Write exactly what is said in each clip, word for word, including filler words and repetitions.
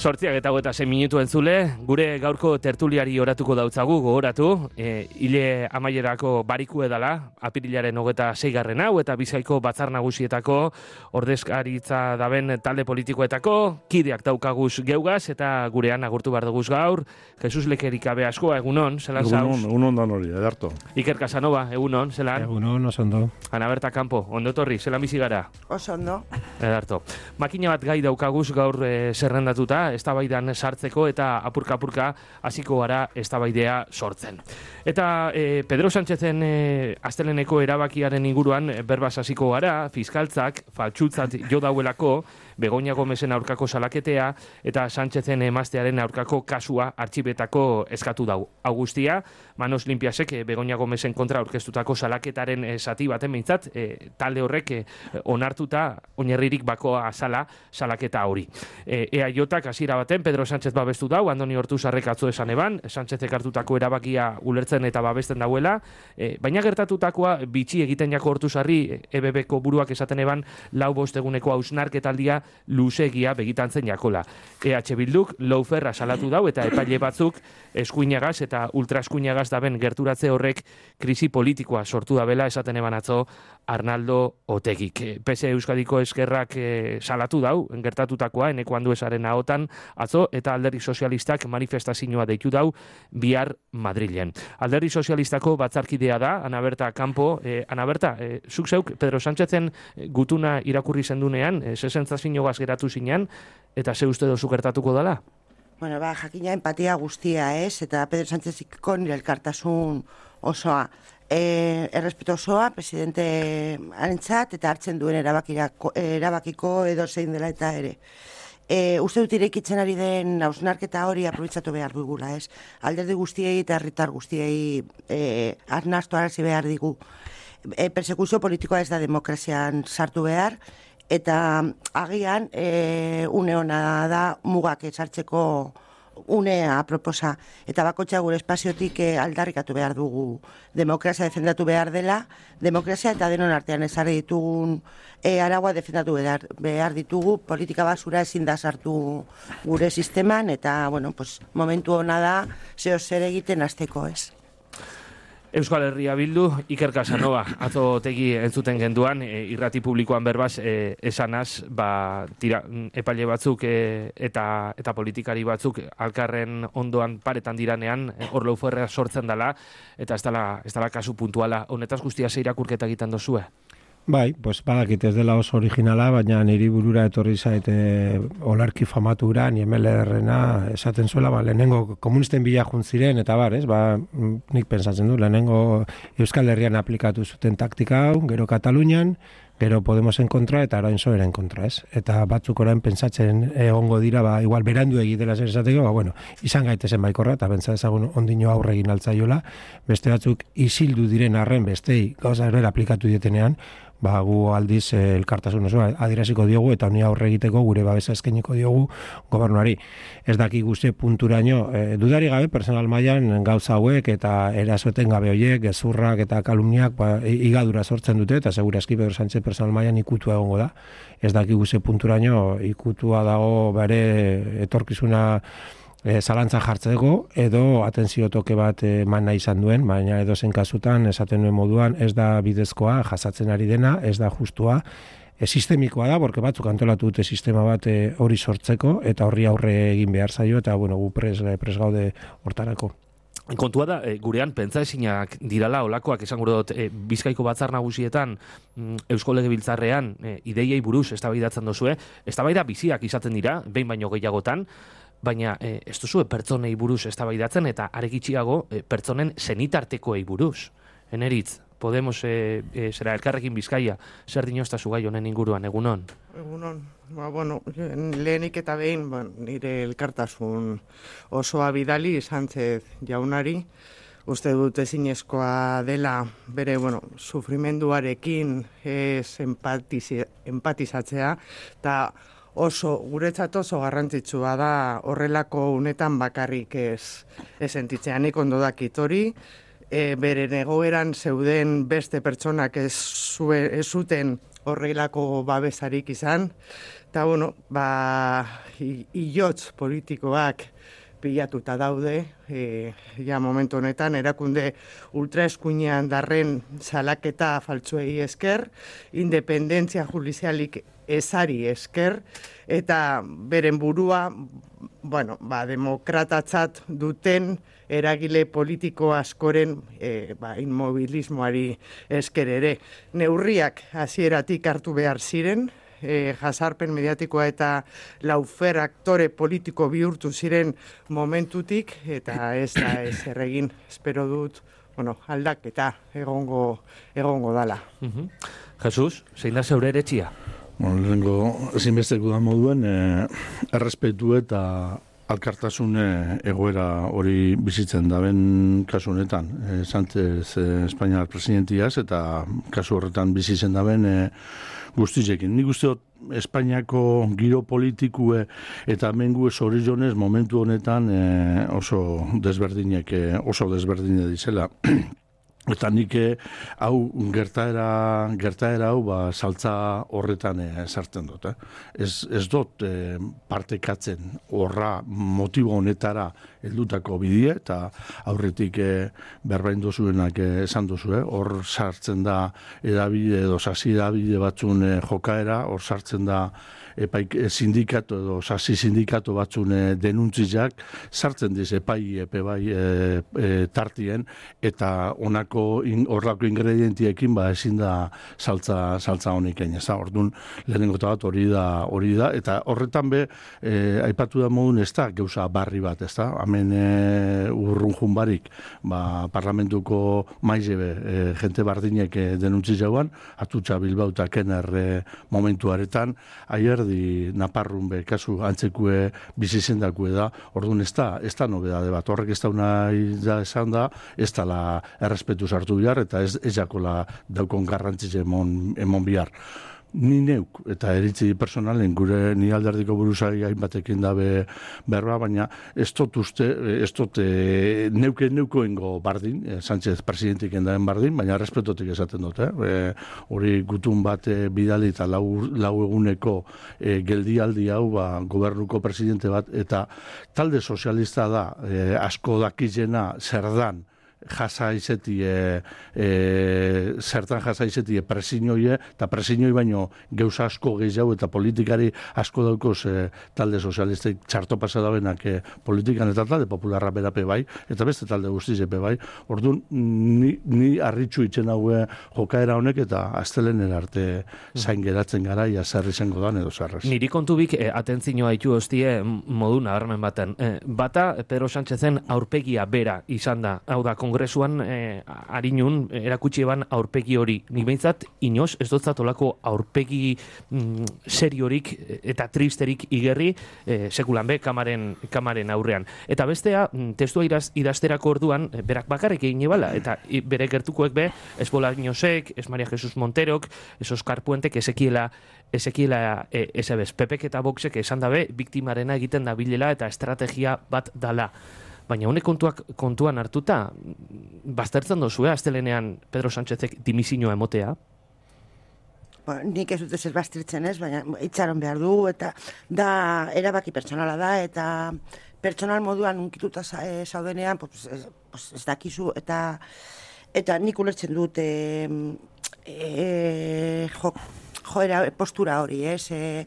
Sortziak eta hogeita sei minutu entzule, gure gaurko tertuliari oratuko dautzagu, gogoratu, e, hile amaierako bariku edala, apirilaren hogeita seigarren hau, eta Bizkaiko batzar nagusietako ordezkaritza daben talde politikoetako, kideak daukaguz geugaz, eta gurean agurtu behar duguz gaur, Jesus Lekerikabe askoa, egunon, zelan zauz? Egunon, egunon dan hori, edarto. Iker Casanova, egunon, zelan? Egunon, oso ondo. Ana Berta Campo, ondo torri, zelan bizi gara? Oso ondo. Edarto. Makina bat gai daukaguz gaur e, zerrendatuta, eztabaidan sartzeko eta apurka-apurka hasiko gara eztabaidea sortzen. Eta e, Pedro Sánchezen e, asteleneko erabakiaren inguruan e, berbaz hasiko gara, fiskaltzak faltsutzat jo dauelako Begoña Gomezen aurkako salaketea eta Sánchezen emaztearen aurkako kasua artxibetako eskatu dau. Augustia, Manos Limpiasek e, Begoña Gomezen kontra aurkeztutako salaketaren e, zati baten behintzat, e, talde horrek e, onartuta oinarririk bakoa azala salaketa hori. E, EAJak hasiera baten Pedro Sánchez babestu dau, Andoni Ortuzarrek atzo esan eban, Sánchezek hartutako erabakia ulertzen eta babesten dauela, e, baina gertatutakoa bitxi egiten jako Ortuzarri E B Bko buruak esaten eban lau bost eguneko hausnarketaldia luzegia begitantzen jakola. E H Bilduk lauferra salatu dau eta epaile batzuk eskuinagaz eta ultraeskuinagaz daben gerturatze horrek krisi politikoa sortu dabela esaten eban atzo Arnaldo Otegik. P S Euskadiko eskerrak e, salatu dau, gertatutakoa eneko anduesaren ahotan atzo eta Alderdi Sozialistak manifestazioa deitu dau bihar Madrilen. Alderdi Sozialistako batzarkidea da, Ana Berta Campo. E, Ana Berta, e, zuk zeuk Pedro Sánchezen gutuna irakurri zendunean, e, zesentzazioagaz geratu zinean, eta ze uste dozu gertatuko dela? Bueno, ba, jakina empatia guztia, ez? Eta Pedro Sáncheziko nire elkartasun osoa. E, errespeto osoa, presidente harentzat, eta hartzen duen erabakiko edo zein dela eta ere. E, uste dut irekitzen ari den hausnarketa hori aprobetxatu behar dugula, ez? Alderdi guztiei eta herritar guztiei e, arnastu arazi behar digu. E, persekuzio politikoa ez da demokrazian sartu behar, eta agian e, une hona da mugak esartzeko unea aproposa, eta bakotxa gure espaziotik e, aldarrikatu behar dugu. Demokrazia defendatu behar dela, demokrazia eta denon artean ezarri ditugun e, araua defendatu behar, behar ditugu, politika basura ezin da sartu gure sisteman, eta bueno, pues, momentu hona da zeo zer egiten hasteko, ez. Euskal Herria Bildu, Iker Casanova, atzo Otegi entzuten genduan, e, irrati publikoan berbaz, e, esanaz, ba, tira, epaile batzuk e, eta eta politikari batzuk alkarren ondoan paretan diranean, e, hor lauferra sortzen dela, eta ez dela, ez dela kasu puntuala. Honetaz guztia ze irakurketa egiten dozue? Bai, pues badakit ez dela oso originala, baina niri burura etorri zait e, olarki famatura, niemelerrena esaten zuela, ba, lehenengo komunisten bila juntziren, eta bar, ez, ba, nik pensatzen du, lehenengo Euskal Herrian aplikatu zuten taktika hau, gero Katalunian, gero Podemosen kontra eta orain Soeren kontra, ez? Eta batzuk orain pentsatzen egongo dira, ba, igual berandu egitela zer esateko, ba, bueno, izan gaitezen baikorra, eta pentsa ezagun ondino aurre egin altzaiola, beste batzuk isildu diren arren bestei gauza erbera aplikatu dietenean, ba, gu aldiz eh, elkartasun osoa adieraziko diogu eta honi aurre egiteko gure babesa eskainiko diogu gobernuari. Ez daki guzti punturaino, eh, dudari gabe personal mailan gauza hauek eta erasoeten gabe hoiek, gezurrak eta kalumniak ba, igadura sortzen dute eta segurazki Pedro Sánchez personal mailan ikutua egongo da. Ez daki guzti punturaino ikutua dago bere etorkizuna E, zalantza jartzeko edo atentzio toke bat eman nahi izan duen, baina edo zen kasutan esaten duen moduan ez da bidezkoa jasatzen ari dena, ez da justua, e, sistemikoa da, porque batzuk antolatu dute sistema bat e, hori sortzeko eta horri aurre egin behar zaio eta bueno, gu pres, pres gaude hortarako. Kontua da, e, gurean pentsa ezinak dirala olakoak esan gure dut, e, Bizkaiko batzar nagusietan mm, Eusko Legebiltzarrean e, ideiei buruz eztabaidatzen dozue, eztabaida biziak izaten dira, behin baino gehiagotan, baina e, ez duzue pertsonei buruz eztabaidatzen eta arekitxiago e, pertsonen zenitartekoei buruz. Eneritz, Podemos e, e, zera elkarrekin Bizkaia, zer dinoztazu gai honen inguruan, egunon? Egunon, ba, bueno, lehenik eta behin, ba, nire elkartasun osoa bidali Sánchez jaunari, uste dut ezinezkoa dela bere, bueno, sufrimenduarekin ez empatiz, empatizatzea, eta oso, guretzat oso garrantzitsua da horrelako unetan bakarrik ez, ez sentitzea. Nik ondo dakit hori, e, beren egoeran zeuden beste pertsonak ez, zue, ez zuten horrelako babesarik izan, eta bueno, ba, hilotz politikoak pilatuta daude, e, ja momentu honetan, erakunde ultraeskuinean darren salaketa faltsuei esker, independentzia judizialik ezari esker, eta beren burua, bueno, ba, demokratatzat duten eragile politiko askoren e, ba, inmobilismoari esker ere. Neurriak hasieratik hartu behar ziren, E, jazarpen mediatikoa eta laufer aktore politiko bihurtu ziren momentutik, eta ez da ez erregin, espero dut, bueno, aldaketa egongo, egongo dala. Uh-huh. Jesus, zein da zeure eretxia? Bueno, lehenko ezinbesteko da moduen, eh, errespetu eta alkartasun egoera hori bizitzen daben kasu honetan. E, Sánchez eh, Espainiar presidentiaz eta kasu horretan bizitzen daben eh, guztizekin. Nik uste dut Espainiako giro politikue eta mengu zorizonez momentu honetan eh, oso desberdinek, eh, oso desberdine dizela. Eta nik hau gertaera, gertaera hau ba, saltza horretan e, sartzen dut. Eh? Ez, ez dut e, partekatzen horra motibo honetara heldutako bidie, eta aurretik e, berbain dozuenak e, esan duzu, eh? Hor sartzen da edabide edo sasi edabide batzun e, jokaera, hor sartzen da epaik sindikatu edo sasi sindikatu batzun e, denuntziak, sartzen diz epai epe bai e, e, tartien, eta onako horrako in, ingredientiekin ba ezin da saltza saltza honekin, ez da. Orduan lehenengo bat hori da, hori da, eta horretan be e, aipatu da modun ez da gauza barri bat, ez da. Hemen e, urrun junbarik, ba, parlamentuko maizebe e, jente bardinek e, denuntzi jauan, atutxa Bilbao eta Kener e, momentuaretan, aierdi Naparrun be kasu antzekue bizizendakue da. Orduan ez da, ez da nobedade bat, horrek ez da unai da esan da, ez da la errespetu sartu bihar, eta ez, ez jakola daukon garrantzitze emon, emon bihar. Ni neuk, eta eritzi personalen, gure ni alderdiko buruzai hainbatekin dabe berba, baina ez dut uste, ez dut e, neuke neukoengo bardin, e, Sánchez presidentik endaen bardin, baina respetotik esaten dut, eh? Hori gutun bat e, bidali eta lau, lau eguneko e, geldialdi hau, ba, gobernuko presidente bat, eta talde sozialista da, e, asko dakizena zer dan, jasa izeti e, e, zertan jasa izeti presinioie, eta presiñoi baino gauza asko gehiago eta politikari asko daukoz e, talde sozialistek txarto pasa dabenak e, politikan eta talde popularra berape bai, eta beste talde guztizepe bai. Orduan, ni, ni arritxu itzen haue jokaera honek, eta aztelen erarte zain geratzen gara, ia zer izango dan edo zerrez. Niri kontubik e, atentzinoa itu hostie modu nabarmen baten. E, bata, Pedro Sánchezen aurpegia bera izan da, hau da, kongresuan eh, harinun erakutsi eban aurpegi hori. Nik behintzat, inoz, ez dotzat olako aurpegi mm, seriorik eta tristerik igerri eh, sekulan be, kamaren, kamaren aurrean. Eta bestea, testua iraz, idazterako orduan, eh, berak bakarrik egin ebala, eta i, bere gertukoek be, ez Bolañosek, ez Maria Jesus Monterok, ez Oskar Puentek, ezekiela ezekiela e, ezebez. Pepek eta Voxek esan dabe, biktimarena egiten da bilela eta estrategia bat dala. Baina honek kontuak kontuan hartuta, baztertzen dozue, astelenean Pedro Sánchezek dimisinoa emotea? Ba, nik ez dut ez baztertzen ez, baina itxaron behar du, eta da erabaki pertsonala da, eta pertsonal moduan unkituta zaudenean, pues, ez, pues, ez dakizu, eta eta nik ulertzen dut e, e, jo, joera postura hori, ez? E,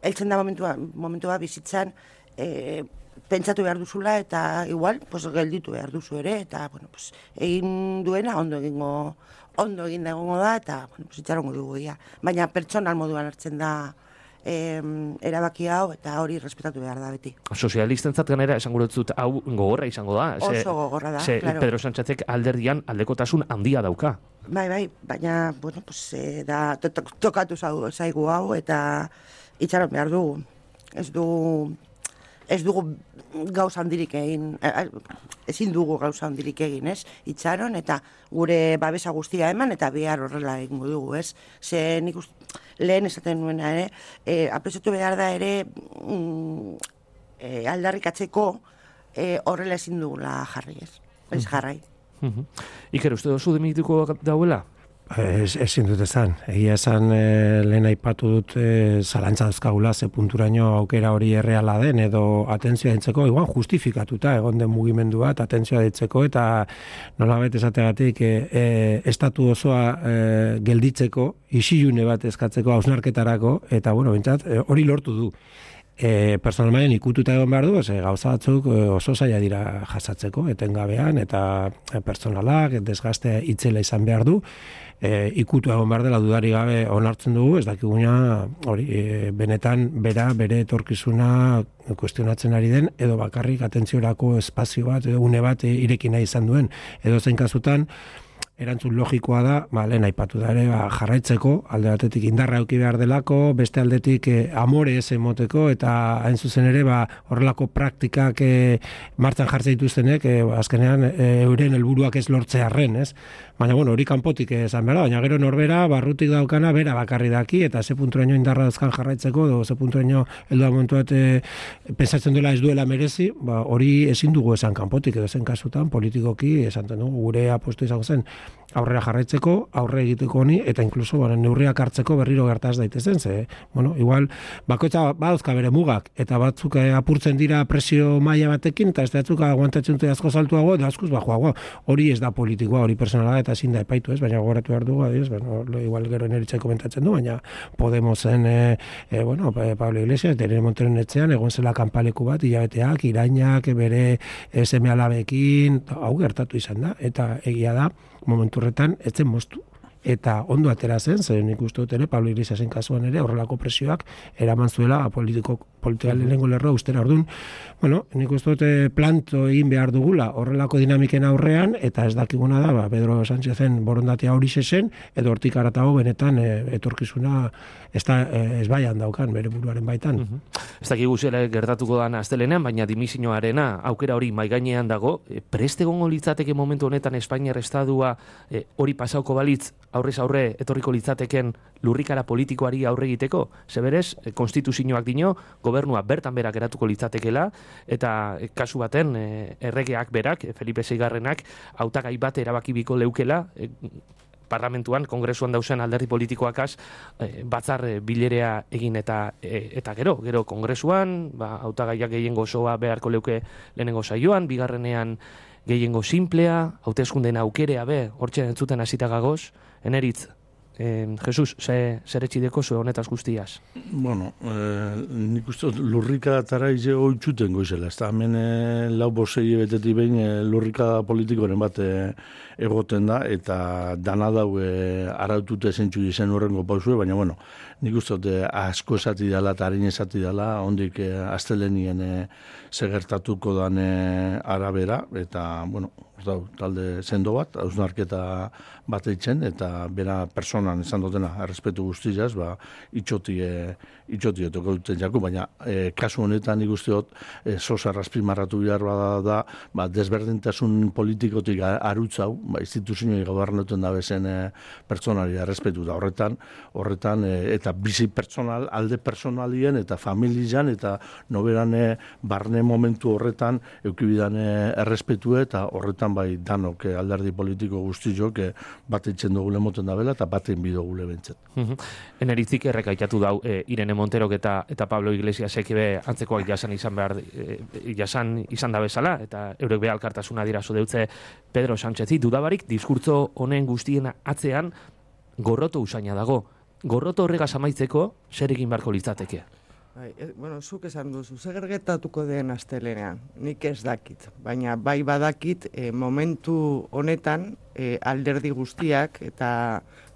eltzen da momentua, momentua bizitzan, e, pentsatu behar duzula, eta igual, pues, gelditu behar duzu ere, eta, bueno, pues, egin duena ondo egingo, ondo egin da egongo da, eta, bueno, pues, itxarongo dugu ia. Baina pertsonal moduan hartzen da eh, erabaki hau, eta hori respetatu behar da beti. Sozialistentzat ganera, esan guretzut, hau gogorra izango da. Oso ze, gogorra da, ze, claro. Pedro Sánchezek alderdian aldekotasun handia dauka. Bai, bai, baina, bueno, pues, eh, da, to, to, tokatu zaigu hau, eta itxaron behar dugu. Ez du... Ez dugu gauza handirik egin, ezin dugu gauza handirik egin, ez? Itxaron, eta gure babesa guztia eman, eta bihar horrela egingo dugu, ez? Ze nik uste, lehen esaten nuena ere, e, apresatu behar da ere mm, e, aldarrikatzeko e, horrela ezin dugula jarri, ez? Ez jarrai. Uh-huh. Iker, uste dozu dimitiko dauela? Ez, ezin dut esan. Egia esan e, lehen aipatu dut e, zalantza dauzkagula ze punturaino aukera hori erreala den edo atentzioa ditzeko, igual justifikatuta egon den mugimendu bat atentzioa ditzeko eta nolabait esategatik e, e, estatu osoa e, gelditzeko, isilune bat eskatzeko hausnarketarako eta bueno, bentsat, e, hori lortu du. E, personal mailan ikututa egon behar du, ez, gauza batzuk oso zaila dira jasatzeko, etengabean, eta personalak, desgaste itzela izan behar du, e, ikutu egon behar dela dudari gabe onartzen dugu, ez dakiguna hori, e, benetan bera, bere etorkizuna kuestionatzen ari den, edo bakarrik atentziorako espazio bat, edo une bat e, irekina izan duen, edo zein kasutan, erantzun logikoa da, ba, lehen aipatu da ere, ba, jarraitzeko, alde batetik indarra eduki behar delako, beste aldetik eh, amore ez emoteko, eta hain zuzen ere, ba, horrelako praktikak eh, martxan jartzen dituztenek, eh, azkenean eh, euren helburuak ez lortzearren, ez? Baina, bueno, hori kanpotik esan behar da, baina gero norbera, barrutik daukana, bera bakarri daki, eta ze punturaino indarra dauzkan jarraitzeko, edo ze punturaino heldu da momentuat eh, pensatzen duela ez duela merezi, ba, hori ezin dugu esan kanpotik, edo zen kasutan, politikoki, esan dugu, gure apostu izango zen, aurrera jarraitzeko, aurre egiteko honi, eta inkluso bueno, neurriak hartzeko berriro gertaz daitezen, ze, bueno, igual, bakoitza badauzka bere mugak, eta batzuk eh, apurtzen dira presio maila batekin, eta ez batzuk aguantatzen dute asko saltuago, eta askoz bajoago, hori ez da politikoa, hori personala, eta ezin da epaitu, ez, baina gogoratu behar dugu, adiz, bueno, igual gero neritza komentatzen du, baina Podemosen, e, e, bueno, Pablo Iglesias, Irene Monteren etxean, egon zela kanpaleku bat, hilabeteak, irainak, bere seme alabekin, hau gertatu izan da, eta egia da, momentu horretan, ez zen moztu. Eta ondo atera zen, zen nik uste dut ere, Pablo Iglesiasen kasuan ere, horrelako presioak eraman zuela politiko, politika lehenengo lerroa ustera orduan. Bueno, nik uste dut planto egin behar dugula horrelako dinamiken aurrean, eta ez dakiguna da, ba, Pedro Sánchezen borondatea hori zen, edo hortik aratago benetan e, etorkizuna ez da e, ez baian daukan, bere buruaren baitan. Uh -huh. Ez dakigu zela gertatuko da astelenean, baina dimisioarena aukera hori maigainean dago, e, prest egongo litzateke momentu honetan Espainiar Estadua e, hori pasauko balitz, aurrez aurre etorriko litzateken lurrikara politikoari aurre egiteko, zeberez, e, konstituzioak dino, gobernua bertan berak eratuko litzatekela, eta e, kasu baten e, erregeak berak, e, Felipe seigarrenak, hautagai bat erabakibiko leukela, e, parlamentuan, kongresuan dausen alderdi politikoakaz, e, batzar e, bilerea egin eta e, eta gero, gero kongresuan, ba, hautagaiak gehiengo osoa beharko leuke lehenengo saioan, bigarrenean gehiengo simplea, hauteskundeen aukerea be, hortxe entzuten hasita gagoz, eneritz, eh, Jesus, ze, zer etxideko zu honetaz guztiaz? Bueno, eh, nik uste lurrika tara ize oitzuten goizela, ez da, hemen eh, lau bosei betetik behin eh, lurrika politikoren bat eh, egoten da, eta dana dau eh, arautute zentsu dizen horrengo pausue, baina bueno, nik uste dut asko esati dela eta harin esati dela, ondik eh, astelenien eh, segertatuko dan eh, arabera, eta bueno, dau, talde sendo bat, hausnarketa bat eitzen, eta bera personan esan dutena, errespetu guztiaz, ba, itxotie, itxotie tokauten jako, baina e, kasu honetan nik uste dut, e, sosa razpimarratu behar bada da, ba, desberdintasun politikotik arutzau, ba, instituzioi gobernatuen da bezen e, pertsonari errespetu da horretan, horretan, e, eta bizi personal, alde personalien, eta familian, eta noberan e, barne momentu horretan, eukibidan e, errespetu eta horretan bai danok e, alderdi politiko guztiok e, bat eitzen dugu lemoten da bela, eta baten bidogu lebentzen. Eneritzik errekaitatu dau e, Irene Monterok eta eta Pablo Iglesiasek be antzekoak jasan izan behar e, jasan izan da bezala, eta eurek be alkartasuna dirazu deutze Pedro Sánchezi, dudabarik diskurtso honen guztien atzean gorroto usaina dago. Gorroto horregaz amaitzeko zer egin beharko litzateke? Bai, e, bueno, zuk esan duzu, zer gertatuko den astelenean, nik ez dakit, baina bai badakit e, momentu honetan e, alderdi guztiak eta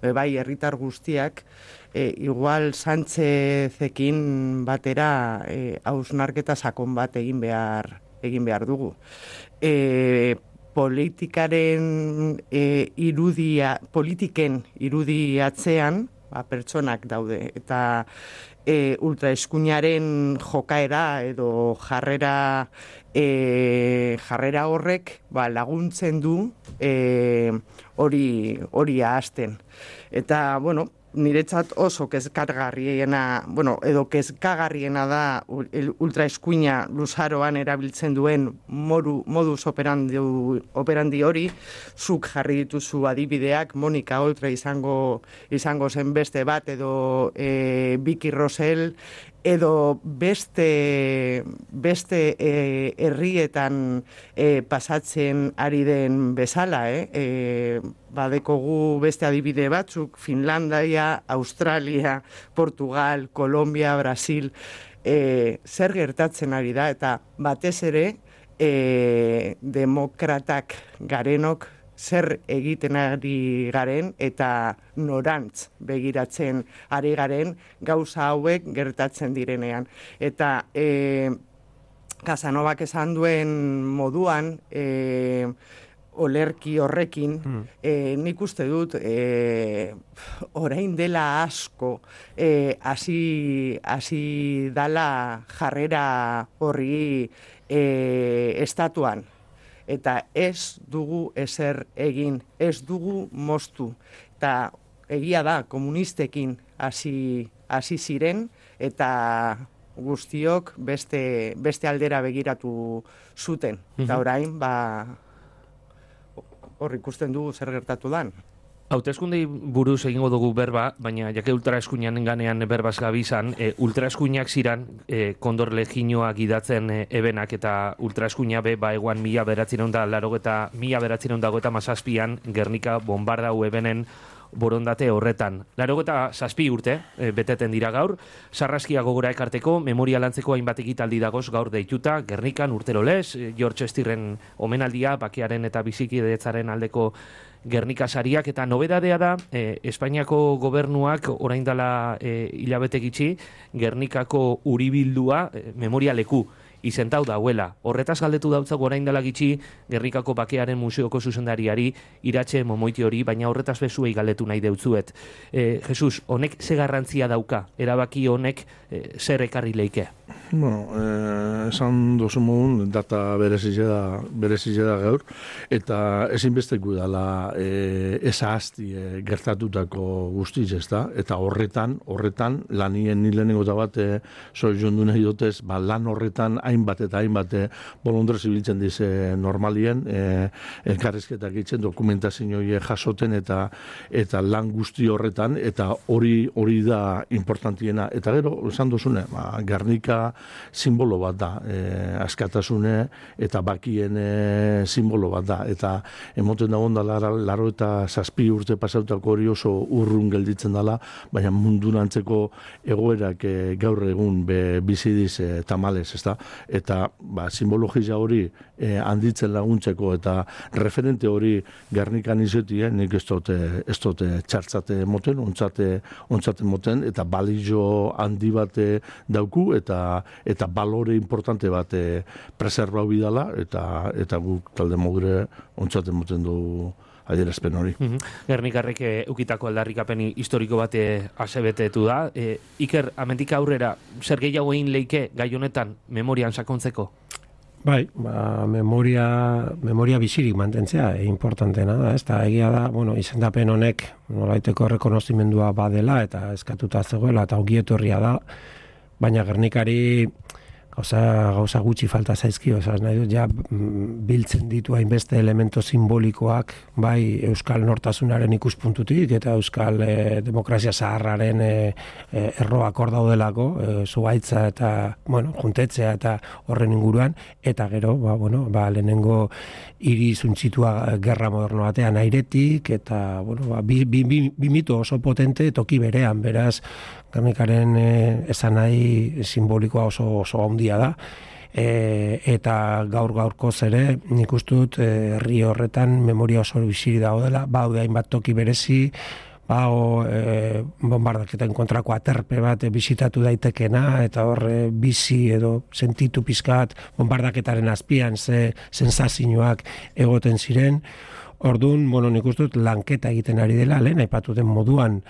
e, bai herritar guztiak e, igual Sánchezekin batera e, hausnarketa sakon bat egin behar egin behar dugu. E, politikaren e, irudia, politiken irudiatzean, ba, pertsonak daude, eta E, ultraeskuinaren jokaera edo jarrera e, jarrera horrek ba, laguntzen du e, hori hori ahazten. Eta, bueno, niretzat oso kezkagarriena, bueno, edo kezkagarriena da ultraeskuina luzaroan erabiltzen duen moru, modus operandi, operandi hori, zuk jarri dituzu adibideak, Monika Oltra izango, izango zen beste bat, edo e, Vicky Rosell, edo beste beste e, herrietan e, pasatzen ari den bezala, eh? E, badekogu beste adibide batzuk, Finlandia, Australia, Portugal, Kolombia, Brasil, e, zer gertatzen ari da, eta batez ere e, demokratak garenok zer egiten ari garen eta norantz begiratzen ari garen gauza hauek gertatzen direnean. Eta e, Casanovak esan duen moduan, e, olerki horrekin, mm. e, nik uste dut e, orain dela asko e, hasi hasi dala jarrera horri e, estatuan. Eta ez dugu ezer egin, ez dugu moztu. Eta egia da, komunistekin hasi hasi ziren, eta guztiok beste, beste aldera begiratu zuten. Eta orain, ba, hor ikusten dugu zer gertatu dan. Hauteskundei buruz egingo dugu berba, baina jake ultraeskuinan ganean berbaz gabizan, e, ultraeskuinak ziran e, kondor leginoa gidatzen e, ebenak, eta ultraeskuina be, ba eguan mila beratzen da larogeta, mila beratzen dago eta mazazpian Gernika bombardau ebenen borondate horretan. Larogeta zazpi urte, e, beteten dira gaur, sarraskia gogora ekarteko, memoria lantzeko hainbat ekitaldi dagoz gaur deituta, Gernikan urtero lez, e, George Estirren omenaldia, bakearen eta bizikidetzaren aldeko Gernika sariak, eta nobedadea da, e, Espainiako gobernuak orain dela e, hilabete gitxi, Gernikako uribildua e, memoria leku izentau dauela. Horretaz galdetu dautzak orain dela gitxi Gernikako bakearen museoko zuzendariari Iratxe Momoiti hori, baina horretaz bezuei galdetu nahi deutzuet. E, Jesus, honek ze garrantzia dauka? Erabaki honek e, zer ekarri leike? Bueno, eh, esan dozu modun, data berezile da, berezile da gaur, eta ezinbesteku dela eh, eza hasti eh, gertatutako guztiz, ez da? Eta horretan, horretan, lanien nilenengo da bat, eh, zoi jondu nahi dutez, ba, lan horretan hainbat eta hainbat eh, bolondrez ibiltzen dize normalien, eh, elkarrizketak itzen, dokumentazioie jasoten, eta eta lan guzti horretan, eta hori hori da importantiena. Eta gero, esan dozune, ba, Gernika simbolo bat da, e, askatasune eta bakien e, simbolo bat da, eta emoten dagoen da laro, laro eta zazpi urte pasautako hori oso urrun gelditzen dela, baina mundurantzeko egoerak e, gaur egun be, bizidiz e, tamales, ezta? Eta ba, simbologia hori e, handitzen laguntzeko eta referente hori Gernikan izetien, nik ez dute, ez dute txartzate moten, ontzate, ontzate moten, eta balizio handi bat dauku, eta eta balore importante bat e, preservau bidala, eta eta guk talde mogure ontzaten moten du adierazpen hori. Mm-hmm. Gernikarrek e, ukitako aldarrikapen historiko bat asebetetu da. E, Iker, amendik aurrera, zer gehiago egin leike gai honetan memorian sakontzeko? Bai, ba, memoria, memoria bizirik mantentzea e, importantena da, ez da, egia da, bueno, izendapen honek nolaiteko rekonozimendua badela eta eskatuta zegoela eta ongietorria da, baina Gernikari gauza, gauza gutxi falta zaizkio, osea, nahi dut, ja, biltzen ditu hainbeste elemento simbolikoak, bai, euskal nortasunaren ikuspuntutik, eta euskal e, demokrazia zaharraren e, e, erroak hor daudelako, e, zuaitza eta, bueno, juntetzea eta horren inguruan, eta gero, ba, bueno, ba, lehenengo hiri zuntzitua gerra moderno batean airetik, eta, bueno, ba, bi, bi, bi, bi mito oso potente toki berean, beraz, Gernikaren e, esan nahi simbolikoa oso, oso handia da, e, eta gaur gaurkoz ere nik uste dut herri e, horretan memoria oso biziri daudela, baude hainbat toki berezi, bau e, bombardaketen kontrako aterpe bat e, bisitatu daitekena, eta hor e, bizi edo sentitu pizkat bombardaketaren azpian ze sensazioak egoten ziren. Orduan, bueno, nik uste dut lanketa egiten ari dela, lehen aipatu den moduan,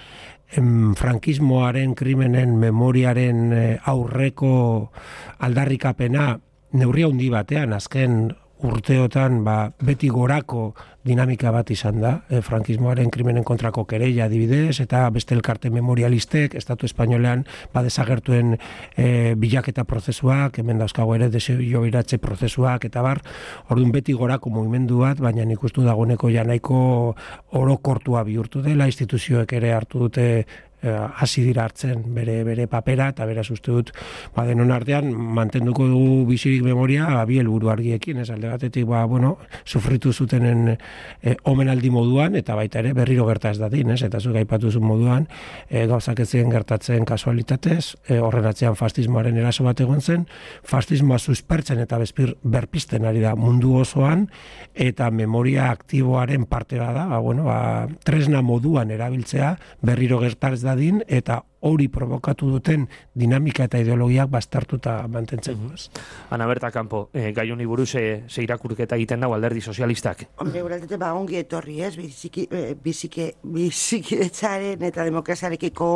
em, frankismoaren, krimenen, memoriaren e, aurreko aldarrikapena neurri handi batean, azken urteotan ba, beti gorako dinamika bat izan da, e, frankismoaren krimenen kontrako kereila adibidez, eta beste elkarte memorialistek, Estatu Espainolean ba, desagertuen e, bilaketa prozesuak, hemen dauzkago ere desiobiratze prozesuak, eta bar, orduan beti gorako mugimendu bat, baina nik uste dagoeneko ja nahiko orokortua bihurtu dela, instituzioek ere hartu dute hasi dira hartzen bere bere papera, eta beraz uste dut ba denon artean mantenduko dugu bizirik memoria bi helburu argiekin, ez alde batetik ba bueno, sufritu zutenen e, omenaldi moduan eta baita ere berriro gerta ez dadin, ez? Eta zuk aipatu zuen moduan, e, gauzak ez ziren gertatzen kasualitatez, e, horren atzean fascismoaren eraso bat egon zen, fascismoa suspertzen eta bezpir berpisten ari da mundu osoan, eta memoria aktiboaren parte bada, ba bueno, ba tresna moduan erabiltzea berriro gerta ez dadin, eta hori provokatu duten dinamika eta ideologiak bastartuta mantentzen. Mm-hmm. Ana Berta Campo, eh, gai honi buruz eh, ze irakurketa egiten dago Alderdi Sozialistak? Hombre, uraltete, ba, ongi etorri, ez? Biziki, biziki, bizikidetzaren eta demokraziarekiko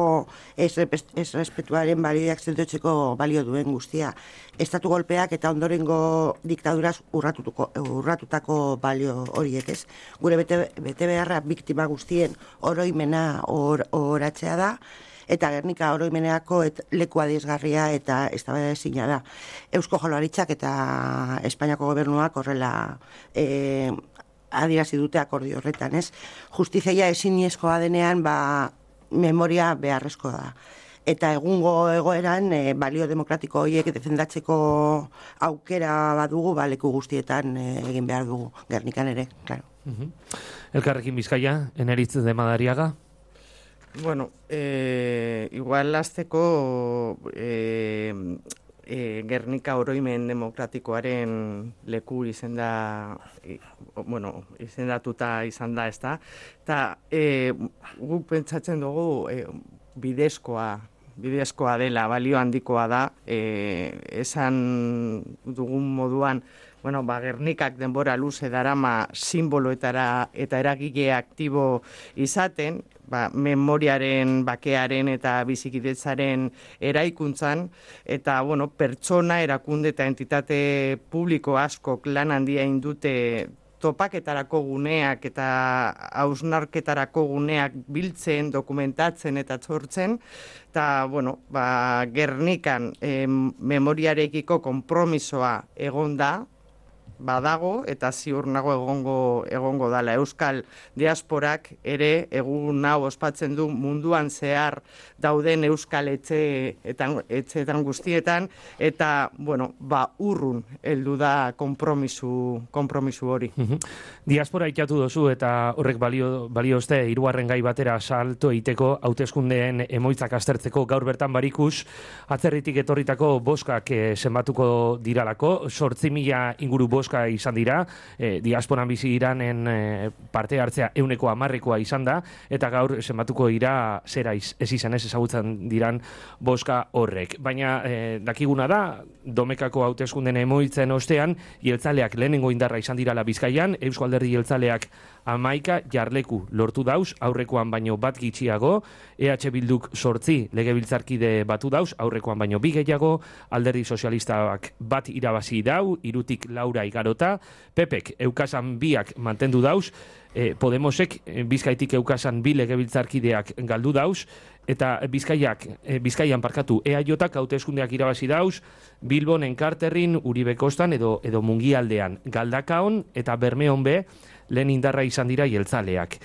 ez respetuaren balioak zentotzeko balio duen guztia. Estatu golpeak eta ondorengo diktaduraz urratutuko, urratutako balio horiek, ez? Gure bete, bete beharra biktima guztien oroimena or, oratzea da, eta Gernika oroimeneako et leku adierazgarria eta eztabaidaezina da. Eusko Jaurlaritzak eta Espainiako gobernuak horrela eh, adierazi dute akordio horretan, ez? Justizia ezinezkoa denean, ba, memoria beharrezkoa da. Eta egungo egoeran e, balio demokratiko horiek defendatzeko aukera badugu, ba, leku guztietan e, egin behar dugu, Gernikan ere, claro. Uh-huh. Elkarrekin Bizkaia, Eneritz de Madariaga? Bueno, eh, igual azteko eh, eh, Gernika oroimen demokratikoaren leku izenda, eh, bueno, izendatuta izan da, ezta? Eta eh, guk pentsatzen dugu eh, bidezkoa, bidezkoa dela, balio handikoa da, eh, esan dugun moduan, bueno, ba, Gernikak denbora luze darama simboloetara eta eragile aktibo izaten, ba, memoriaren, bakearen eta bizikidetzaren eraikuntzan, eta bueno, pertsona, erakunde eta entitate publiko askok lan handia indute topaketarako guneak eta hausnarketarako guneak biltzen, dokumentatzen eta sortzen, eta bueno, ba, Gernikan eh, memoriarekiko konpromisoa egon da, badago eta ziur nago egongo egongo dala. Euskal diasporak ere egun hau ospatzen du munduan zehar dauden euskal etxe eta etxeetan guztietan, eta bueno, ba urrun heldu da konpromisu konpromisu hori. Diaspora ikatu dozu eta horrek balio baliozte hirugarren gai batera salto egiteko hauteskundeen emoitzak aztertzeko gaur bertan barikus atzerritik etorritako boskak eh, zenbatuko diralako, zortzi mila inguru boska izan dira, eh, diasporan bizi iranen eh, parte hartzea euneko hamarrekoa izan da, eta gaur zenbatuko dira zera iz, ez izan ez ezagutzen diran boska horrek. Baina eh, dakiguna da, domekako hauteskunden emoitzen ostean, jeltzaleak lehenengo indarra izan dirala Bizkaian, Eusko Alderdi jeltzaleak hamaika jarleku lortu dauz, aurrekoan baino bat gitxiago, E H Bilduk sortzi legebiltzarkide batu dauz, aurrekoan baino bi gehiago, Alderdi Sozialistak bat irabazi dau, irutik laura igarota, Pepek eukasan biak mantendu dauz, eh, Podemosek eh, Bizkaitik eukasan bi legebiltzarkideak galdu dauz, eta Bizkaiak, eh, Bizkaian parkatu E A Jotak hauteskundeak irabazi dauz, Bilbon, Enkarterrin, Uribe Kostan edo, edo Mungialdean, Galdakaon eta Bermeon be, lehen indarra izan dira jeltzaleak.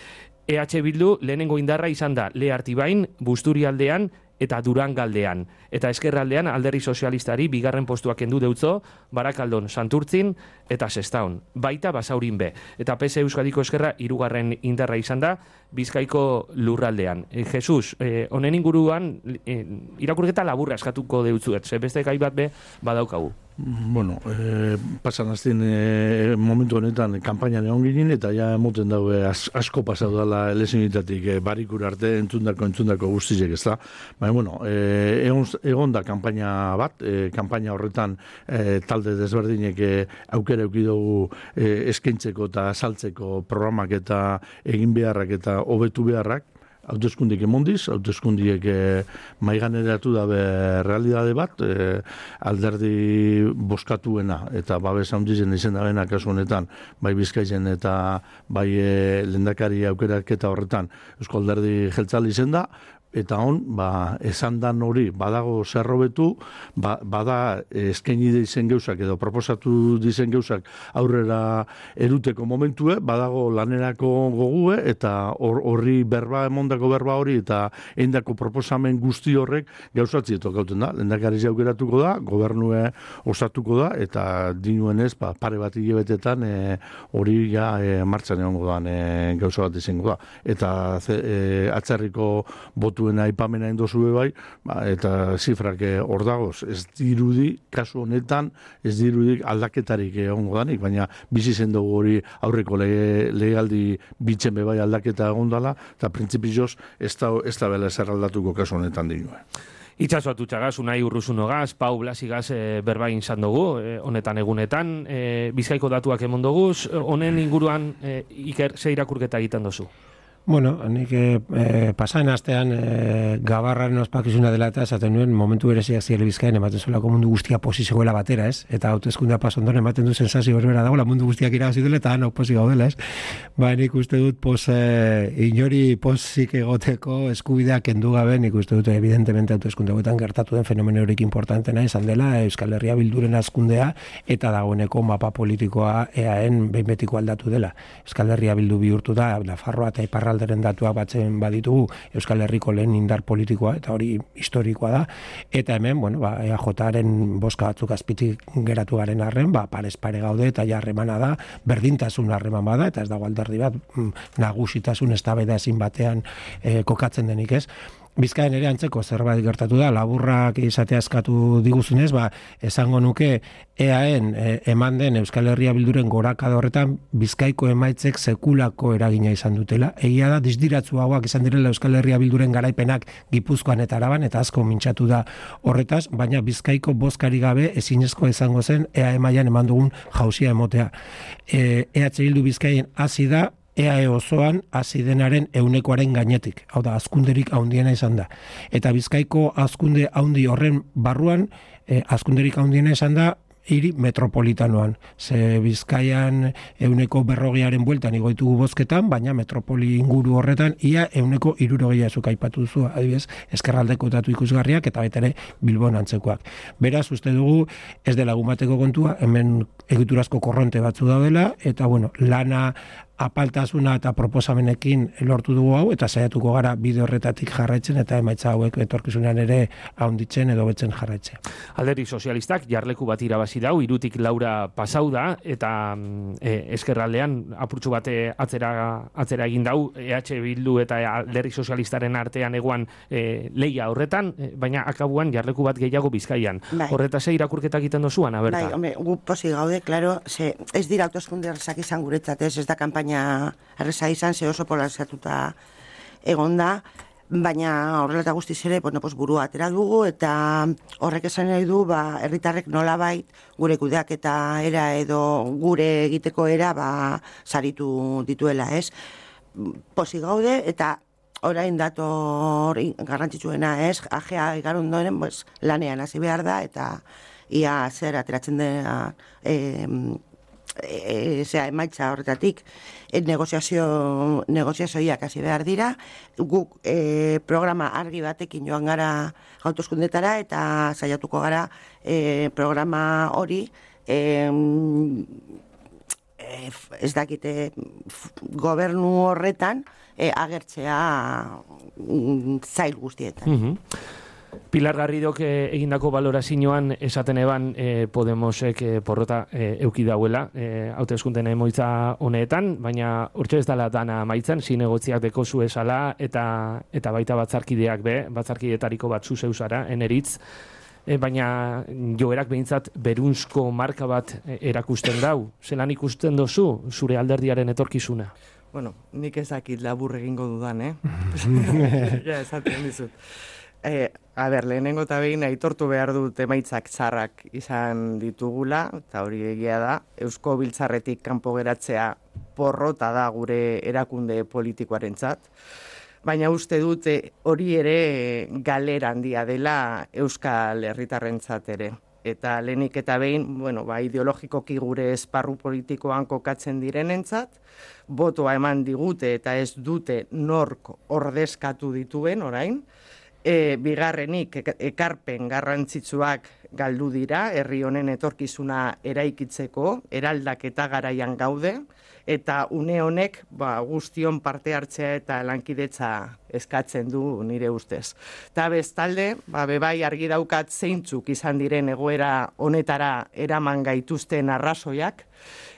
E H Bildu lehenengo indarra izan da Lehartibain, Busturialdean eta Durangaldean. Eta eskerraldean Alderdi Sozialistari bigarren postuak kendu deutzo, Barakaldon, Santurtzin eta Sestaon. Baita Basaurin be. Eta P S Euskadiko eskerra hirugarren indarra izan da Bizkaiko lurraldean. E, Jesus, eh, honen inguruan eh, irakurketa laburra eskatuko deutzuet, ze beste gai bat be badaukagu. Bueno, eh, pasan azten eh, momentu honetan kanpainan egon ginen, eta ja moten daue as, asko pasau dala elezinitatik eh, barikur arte entzundako entzundako guztizek, ez da? Baina, bueno, eh, egon, egon da kanpaina bat, eh, kanpaina horretan eh, talde desberdinek eh, aukera eukidugu eh, eskaintzeko eta saltzeko programak eta egin beharrak eta hobetu beharrak, hauteskundiek emondiz, hauteskundiek e, maiganeratu dabe realidade bat, e, alderdi boskatuena eta babes handizen izen dabena kasu honetan, bai Bizkaian eta bai e, lehendakari aukeraketa horretan Eusko Alderdi Jeltzale izen da, eta hon, ba, esan dan hori, badago zerrobetu, ba, bada eskaini dizen geuzak edo proposatu dizen geuzak aurrera eruteko momentue, badago lanerako gogue, eta horri or, berba, emondako berba hori, eta eindako proposamen guzti horrek gauzatzi etokauten da. Lehendakari aukeratuko da, gobernue osatuko da, eta dinuenez, ba, pare bat hilebetetan hori e, ja e, martxan egongo da, e, gauza bat izango da. Eta ze, e, atzerriko botu aipamena indozue bai, ba, eta zifrak hor dagoz, ez dirudi, kasu honetan, ez dirudi aldaketarik egongo danik, baina bizi zen dugu hori aurreko lege, legealdi bitzen bebai aldaketa egon dala, eta printzipioz ez da, ez da bela zer aldatuko kasu honetan dinue. Itxaso atutxagaz, unai urruzunogaz, Pau Blasigaz e, berbain izan dugu, e, honetan egunetan, e, Bizkaiko datuak emon duguz, honen inguruan e, Iker, ze irakurketa egiten dozu? Bueno, nik eh, pasaen astean eh, gabarraren ospakizuna dela eta esaten nuen momentu bereziak ziele Bizkaien ematen zuelako mundu guztia posizegoela batera, ez? Eta hauteskundea pasondoren ematen du sensazio berbera dagoela mundu guztiak irabazi duela eta hau posi gaudela, ez? Ba, nik uste dut pos, eh, inori posik egoteko eskubideak kendu gabe, nik uste dut evidentemente hauteskunde hauetan gertatu den fenomeno horik importantena izan dela Euskal Herria Bilduren hazkundea eta dagoeneko mapa politikoa eaen behin betiko aldatu dela. Euskal Herria Bildu bihurtu da, Nafarroa eta Iparra alderen datuak batzen baditugu Euskal Herriko lehen indar politikoa eta hori historikoa da eta hemen, bueno, ba E A Jaren boska batzuk azpitik geratu garen arren, ba pares pare gaude eta ja harremana da, berdintasun harreman bada eta ez dago alderdi bat nagusitasun eztabaida ezin batean e, kokatzen denik, ez? Bizkaien ere antzeko zerbait gertatu da, laburrak izatea eskatu diguzunez, ba, esango nuke eaen e, eman den Euskal Herria Bilduren gorakada horretan Bizkaiko emaitzek sekulako eragina izan dutela. Egia da, disdiratzu hauak izan direla Euskal Herria Bilduren garaipenak Gipuzkoan eta Araban, eta asko mintxatu da horretaz, baina Bizkaiko bozkari gabe ezinezko izango zen E A E mailan eman dugun jauzia emotea. E, E H Bildu Bizkaien hasi da, E A E osoan hasi denaren ehunekoaren gainetik. Hau da, hazkunderik handiena izan da. Eta Bizkaiko hazkunde handi horren barruan, eh, hazkunderik handiena izan da hiri metropolitanoan. Ze Bizkaian euneko berrogearen bueltan igoitugu bozketan, baina metropoli inguru horretan ia euneko hirurogeia zuk aipatu duzu, adibidez, ezkerraldeko datu ikusgarriak eta baita ere Bilbon antzekoak. Beraz, uste dugu ez dela gumateko kontua, hemen egiturazko korronte batzu daudela, eta bueno, lana apaltasuna eta proposamenekin lortu dugu hau, eta saiatuko gara bide horretatik jarraitzen, eta emaitza hauek etorkizunean ere haunditzen edo betzen jarraitzen. Alderdi sozialistak jarleku bat irabazi dau, irutik laura pasau da, eta e, eskerraldean apurtxu bate atzera, atzera egin dau, E H Bildu eta Alderdi sozialistaren artean egoan e, leia horretan, e, baina akabuan jarleku bat gehiago Bizkaian. Bai. Horretaz irakurketak egiten dozuan, aberta? Bai, hombre, gu posi gaude, claro, ze, ez dira autoskunde errezak izan guretzat, ez, ez da kampaina erreza izan, ze oso polarizatuta egon da, baina horrela eta guztiz ere, bueno, pues burua atera dugu, eta horrek esan nahi du, ba, herritarrek nolabait gure kudeak eta era edo gure egiteko era, ba, saritu dituela, ez? Posi gaude, eta orain dator garrantzitsuena, ez? Ajea igarun doren, pues, lanean hasi behar da, eta ia zer ateratzen dena, eh, E, zera, emaitza horretatik e, negoziazio negoziazioiak hasi behar dira, guk e, programa argi batekin joan gara hauteskundetara eta saiatuko gara e, programa hori e, e, ez dakite gobernu horretan e, agertzea mm, zail guztietan. Mm-hmm. Pilar Garridok eh, egindako balorazioan esaten eban eh, Podemosek eh, porrota eh, euki dauela eh, hauteskunteen emoitza honetan, baina hortxe ez dela dana amaitzen, zinegotziak deko zu esala eta, eta baita batzarkideak be, batzarkidetariko bat zu zeusara, eneritz, eh, baina joerak behintzat berunzko marka bat eh, erakusten dau. Zelan ikusten dozu zure alderdiaren etorkizuna? Bueno, nik ez dakit labur egingo dudan, eh? Ja, esaten dizut. Eh, a ber, lehenengo eta behin aitortu behar dut emaitzak txarrak izan ditugula, eta hori egia da, Eusko Biltzarretik kanpo geratzea porrota da gure erakunde politikoarentzat. baina uste dute hori ere galera handia dela Euskal Herritarrentzat ere. Eta lehenik eta behin, bueno, ba, ideologikoki gure esparru politikoan kokatzen direnentzat, botoa eman digute eta ez dute nork ordezkatu dituen orain, e, bigarrenik ekarpen garrantzitsuak galdu dira, herri honen etorkizuna eraikitzeko, eraldaketa garaian gaude, eta une honek ba, guztion parte hartzea eta lankidetza eskatzen du nire ustez. Eta bestalde, ba, bebai argi daukat zeintzuk izan diren egoera honetara eraman gaituzten arrazoiak,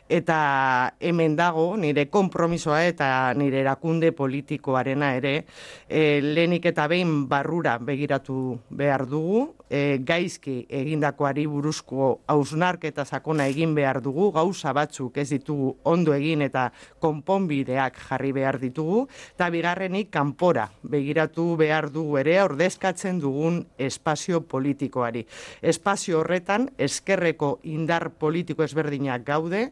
eta hemen dago nire konpromisoa eta nire erakunde politikoarena ere, e, lehenik eta behin barrura begiratu behar dugu, e, gaizki egindakoari buruzko hausnarketa sakona egin behar dugu, gauza batzuk ez ditugu ondo egin eta konponbideak jarri behar ditugu, eta bigarrenik kanpora begiratu behar dugu ere ordezkatzen dugun espazio politikoari. Espazio horretan ezkerreko indar politiko ezberdinak gaude,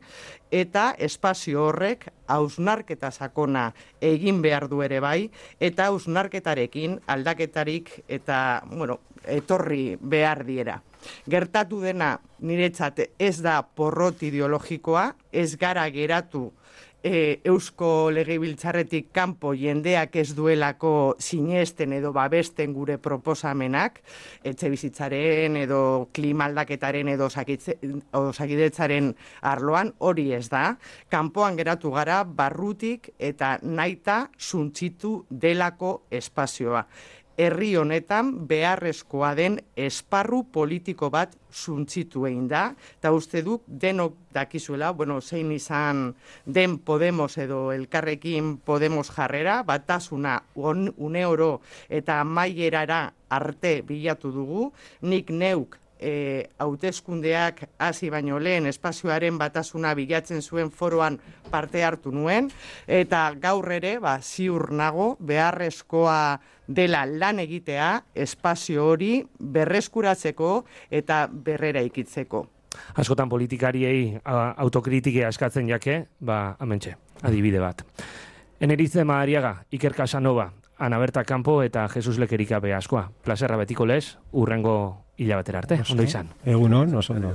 eta espazio horrek hausnarketa sakona egin behar du ere bai, eta hausnarketarekin aldaketarik eta, bueno, etorri behar diera. Gertatu dena niretzat ez da porrot ideologikoa, ez gara geratu E, Eusko Legebiltzarretik kanpo jendeak ez duelako sinesten edo babesten gure proposamenak, etxe bizitzaren edo klima aldaketaren edo osakidetzaren arloan, hori ez da. Kanpoan geratu gara barrutik eta naita suntzitu delako espazioa. Herri honetan beharrezkoa den esparru politiko bat suntzitu egin da, eta uste duk denok dakizuela, bueno, zein izan den Podemos edo Elkarrekin Podemos jarrera, batasuna on, une oro eta amaierara arte bilatu dugu, nik neuk E, hauteskundeak hasi baino lehen espazioaren batasuna bilatzen zuen foroan parte hartu nuen, eta gaur ere ba, ziur nago beharrezkoa dela lan egitea espazio hori berreskuratzeko eta berrera ikitzeko. Askotan politikariei autokritikea eskatzen jake, ba, amentxe, adibide bat. Eneritze Madariaga, Iker Casanova, Ana Berta Campo eta Jesus Lekerika be askoa. Plazerra betiko lez, urrengo hilabatera arte. Ondo izan. Egunon, oso ondo.